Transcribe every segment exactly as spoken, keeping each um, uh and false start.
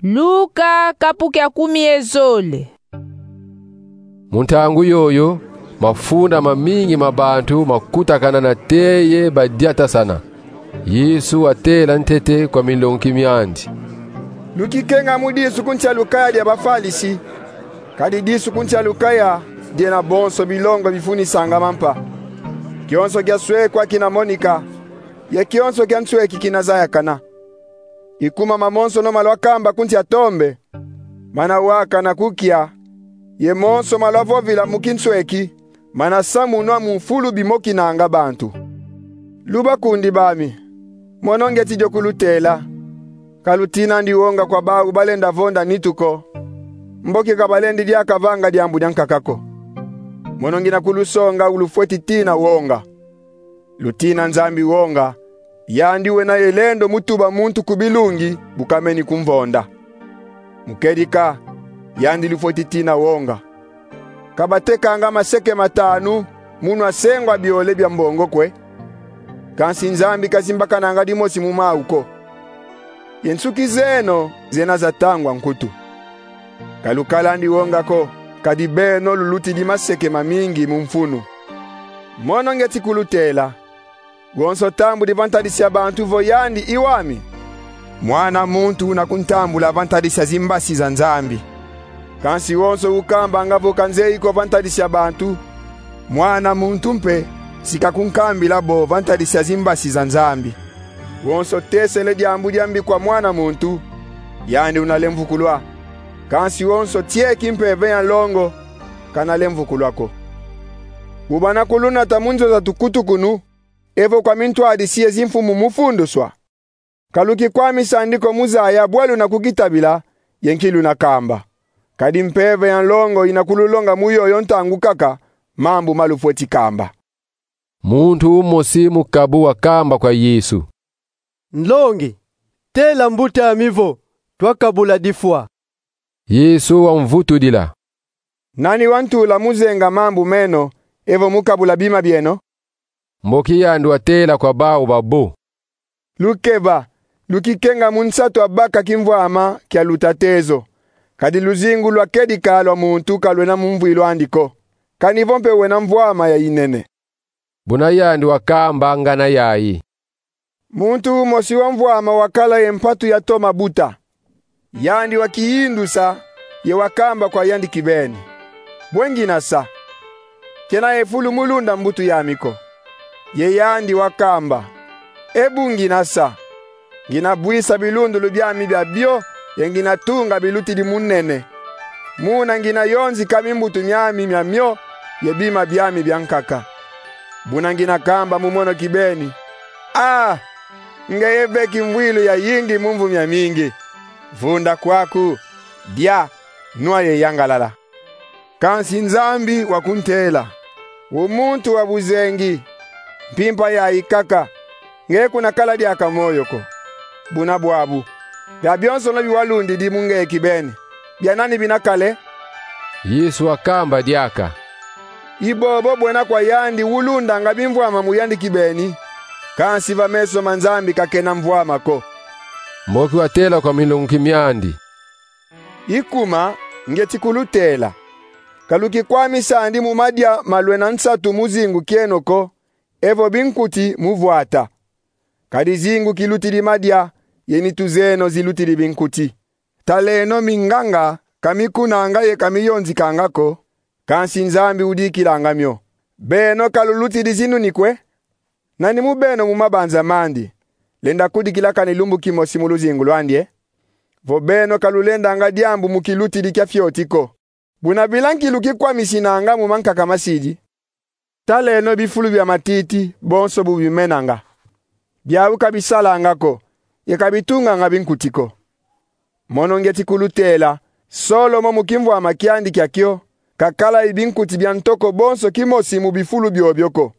Luka kapu kia kumi ye zole. Mu ntangu yoyo, mafunda mamingi ma bantu makutakana nate ye badiatasana. Yesu watela ntete kwa milongi miandi: Lukikenga mu disu ku nsi a lukaya dia Bafalisi, kadi disu ku nsi a lukaya diena bonso bilongo bifunisanga mampa. Kionso kia swekwa kina monika, ye kionso kia nsweki kina zayakana. Ikuma mamonsono ma lwakamba ku nsi a tombe, mana wakana ku kia, ye monso ma lwavovila mu kinsweki, mana samunwa mu mfulu bimokinanga bantu. Lubakundi bami, mono ngieti dio kulutela: ka lutinandi wonga kwa bau balenda vonda nitu ko, mboki ka balendi diaka vanga diambu dia nkaka ko. Mono ngina kulusonga wu lufweti tina wonga. Lutina Nzambi wonga, yandi wena ye lendo mu tuba muntu ku bilungi bu kameni kumvonda. Mu kedika, yandi lufweti tina wonga. Ka batekanga maseke matanu mu nwa sengwa biole bia mbongo kwe. Kansi Nzambi kazimbakananga dimosi mu mau ko. Ye nsuki zeno zena za tangwa nkutu. Ka lukalandi wonga ko, kadi beno lulutidi maseke mamingi mu mfunu. Mono ngieti kulutela: wonso tambudi va ntadisi a bantu vo yandi i wami, Mwana muntu una kuntambula va ntadisi a zimbasi za Nzambi. Kansi wonso ukambanga vo kanzeyi ko va ntadisi a bantu, Mwana muntu mpe si kakunkambila bo va ntadisi a zimbasi za Nzambi. Wonso tesele diambu diambi kwa Mwana muntu, yandi una lemvukulwa. Kansi wonso tieki Mpeve ya nlongo, kana lemvukulwa ko. Bu bana kulunata mu nzo za tukutukunu, evo kwa mintwadisi ye zimfumu mu funduswa, ka lukikwamisandi ko mu zaya bwa luna kukitabila ye nki luna kamba. Kadi Mpeve ya nlongo ina kululonga mu yoyo ntangu kaka mambu ma lufweti kamba. Muntu umosi mu kabu wakamba kwa Yesu: Nlongi, tela mbuta ami vo twakabula difwa. Yesu wamvutudila: Nani wantula mu zenga mambu meno, evo mu kabula bima bieno? Mboki yandi watela kwa bau babo: Lukeba, lukikenga mu nsatu a baka kimvwama kia luta tezo, kadi luzingu lwa kedika lwa muntu ka lwena mu mvwilu andi ko, kani vo mpe wena mvwama ya inene. Buna yandi wakamba ngana yayi: Muntu umosi wa mvwama wakala ye mpatu ya toma buta. Yandi wakiyindusa, ye wakamba kwa yandi kibeni: Bwe ngina sa? Kena ye fulu mu lunda mbutu yami ko. Ye yandi wakamba: E bu ngina sa, ngina bwisa bilundulu biami biabio, ye ngina tunga bilutidi mu nene. Muna ngina yonzika mimbutu miami miamio ye bima biami bia nkaka. Buna ngina kamba mu mono kibeni: Ah, ngeye ve kimvwilu yayingi mu mvu miamingi. Vunda kwaku, dia, nwa ye yangalala. Kansi Nzambi wakuntela: O muntu wa buzengi, mpimpa yayi kaka, nge kuna kala diaka moyo ko. Buna bwabu, biabionsono bi walundidi mu nge kibeni, bia nani bina kale? Yesu wakamba diaka: I bobo bwena kwa yandi ulundanga bimvwama mu yandi kibeni, kansi va meso ma Nzambi kakena mvwama ko. Mboki watela kwa milongi miandi: Ikuma, ngieti kulutela: ka lukikwamisandi mu madia ma lwena nsatu mu zingu kieno ko, evo binkuti mu vwata. Kadi zingu kilutidi madia, ye nitu zeno zilutidi binkuti. Taleno minganga ka mikunanga ye ka miyonzikanga ko, kansi Nzambi udikilanga mio. Beno ka lulutidi zinuni kwe? Nani mu beno mu mabanza mandi lenda kudikila kani lumbu kimosi mu luzingu lwandi e? Vo beno ka lulendanga diambu mu kilutidi kia fioti ko. Buna bila nki lukikwamisinanga mu mankaka masidi? Taleno bifulu bia matiti bonso bu bimenanga. Biau ka bisalanga ko, ye ka bitunganga binkuti ko. Mono ngieti kulutela: Solomo mu kimvwama kiandi kia kio, kakala ye binkuti bia ntoko bonso kimosi mu bifulu biobio ko.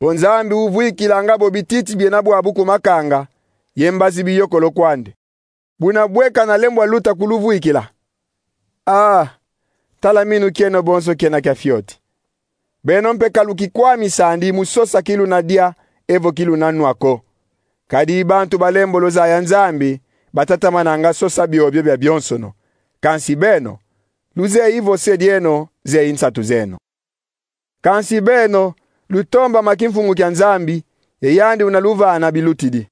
Vo Nzambi uvwikilanga bo bititi biena bwabu ku makanga, ye mbazi biyokolo kwandi, buna bwe kana lembwa luta kuluvwikila? Ah, tala minu kieno bonso kiena kia fioti. Beno mpe ka lukikwamisandi mu sosa ki luna dia evo ki luna nwa ko. Kadi bantu balembolo zaya Nzambi, batatamananga sosa biobio bia bionsono. Kansi beno, luzeyi vo se dieno zeyi nsatu zeno. Kansi beno, lutombama kimfumu kia Nzambi, ye yandi una luvana bilutidi.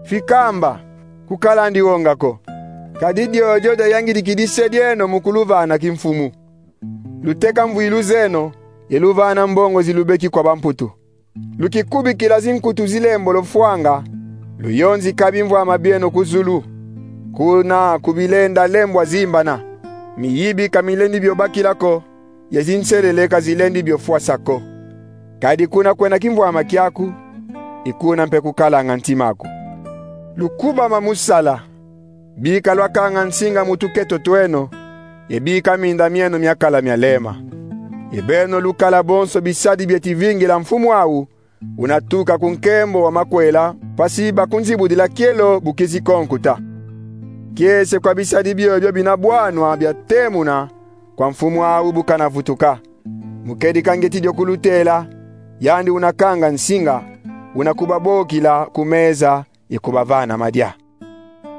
Fikamba, kukalandi wonga ko, kadi diodio diayangidikidi se dieno mu kuluvana kimfumu. Luteka mvwilu zeno, ye luvana mbongo zilubeki kwa bamputu. Lukikubikila zinkutu zilembolo fwanga, luyonzika bimvwama bieno ku zulu. Kuna kubilenda lembwa zimbana, miyibi ka milendi bio bakila ko, ye zinselele ka zilendi bio fwasa ko. Kadi kuna kwena kimvwama kiaku, i kuna mpe kukalanga ntima aku. Lukubama mu sala, bika lwakanga nsinga mu tuketo tweno, ye bika minda mieno miakala mialema. Ye beno lukala bonso bisadi bieti vingila mfumu au, una tuka ku nkembo wa makwela, mpasi bakunzibudila kielo bu kizi ko nkuta. Kiese kwa bisadi biobio bina bwanwa bia temuna kwa mfumu au bu kana vutuka. Mu kedika ngieti dio kulutela, yandi una kanga nsinga, una kubabokila ku meza ye kubavana madia.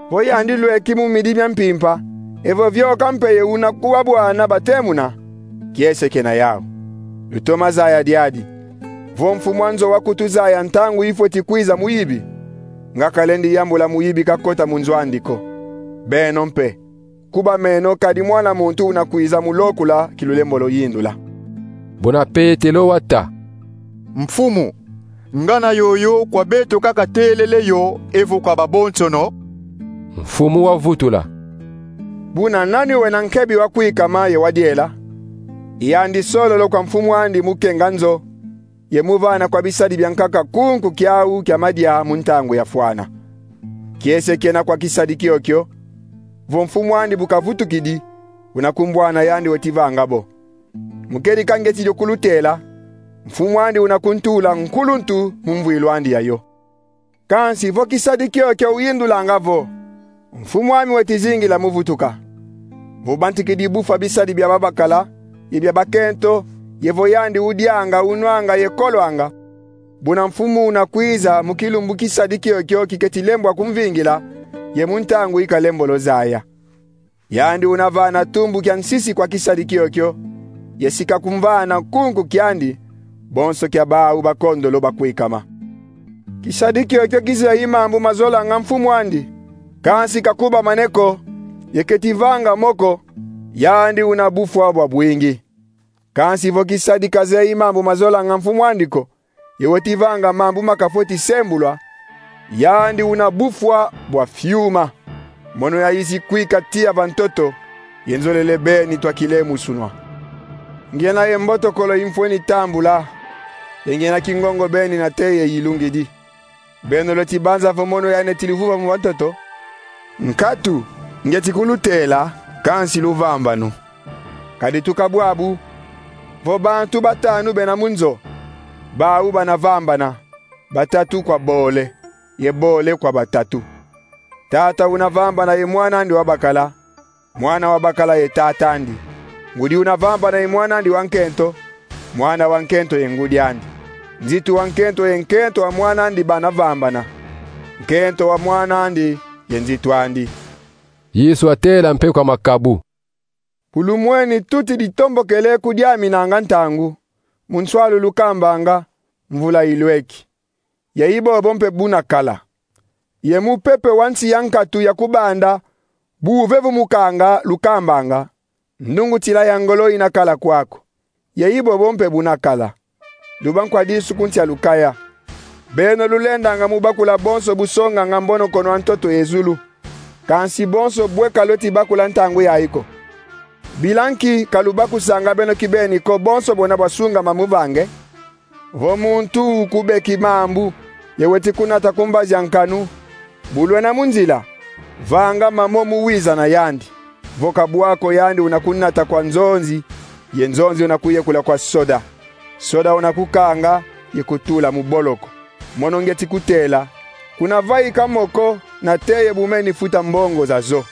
Vo yandi lweki mu midi mia mpimpa, evo vioka mpe ye una kubabwana batemuna, kiese kena yau. Lutoma zaya diadi. Vo mfumu a nzo wakutuzaya ntangu ifweti kwiza muyibi, nga kalendi yambula muyibi kakota mu nzo andi ko. Beno mpe, kuba meno, kadi Mwana muntu una kwiza mu lokula ki lulembolo yindula. Buna Petelo wata: Mfumu, ngana yoyo kwa beto kaka telele yo evo kwa babonsono? Mfumu wavutula: Buna nani wena nkebi wa kwikama ye wa diela? I yandi sololo kwa mfumu andi mu kenga nzo, ye mu vana kwa bisadi bia nkaka kunku kiau kia madia mu ntangu yafwana. Kiese kena kwa kisadi kiokio, vo mfumu andi bu kavutukidi, una kumbwana yandi weti vanga bo. Mu kedika ngieti dio kulutela, mfumu andi una kuntula nkuluntu mu mvwilu andi yayo. Kansi vo kisadi kiokio uyindulanga vo: Mfumu ami weti zingila mu vutuka, vo bantikidi bufwa bisadi bia babakala ye bia bakento, ye vo yandi udianga, unwanga ye kolwanga, buna mfumu una kwiza mu kilumbu kisadi kiokio kiketi lembwa kumvingila, ye mu ntangu ika lembolo zaya. Yandi una vana tumbu kia nsisi kwa kisadi kiokio, ye si kakumvana kunku kiandi, bonso kia bau bakondolo bakwikama. Kisadi kiokio kizeyi mambu mazolanga mfumu andi, kansi kakubamane ko, ye keti vanga mo ko, yandi una bufwa bwa bwingi. Kansi vo kisadi kazeyi mambu mazolanga mfumu andi ko, ye weti vanga mambu makafweti sembulwa, yandi una bufwa bwa fiuma. Mono yayizi kwika tiya va ntoto, ye nzolele beni twa kilemusunwa. Ngiena ye mbotokolo imfweni tambula, ye ngiena kingongo beni nate ye yilungidi. Beno lweti banza vo mono yandi eti luvuvamu va ntoto? Nkatu, ngieti kulutela, kansi luvambanu. Kadi tuka bwabu, vo bantu batanu bena mu nzo, bau bana vambana, batatu kwa bole, ye bole kwa batatu. Tata una vambana ye mwana andi wa bakala, mwana wa bakala ye tata andi. Ngudi una vambana ye mwana andi wa nkento, mwana wa nkento ye ngudi andi. Nzitu wa nkento ye nkento wa mwana andi bana vambana. Nkento wa mwana andi ye nzitu andi. Yesu atela mpe kwa makabu: Bu lumweni tuti ditombokele ku diaminanga ntangu, mu nswalu lukambanga: Mvula ilweki. Ye i bobo mpe buna kala. Ye mupepe wa nsi ya nkatu ya kubanda bu uvevumukanga lukambanga: Ndungutila ya ngolo ina kala kwaku. Ye i bobo mpe buna kala. Luba nkwa disu ku nsi a lukaya. Beno lulendanga mu bakula bonso busonganga mbonokono a ntoto ye zulu, kansi bonso bwe ka lweti bakula ntangu yayi ko. Bila nki ka lubakusanga beno kibeni ko bonso bwena bwasungama mu vange? Vo muntu ukubeki mambu, ye weti kunata ku mbazi a nkanu, bu lwena mu nzila, vanga mamo mu wiza na yandi. Vo ka bwa ko, yandi una kunata kwa nzonzi, ye nzonzi una kuyekula kwa soda. Soda una kukanga ye kutula mu boloko. Mono ngieti kutela, kuna vaika mo ko nate ye bu meni futa mbongo zazo.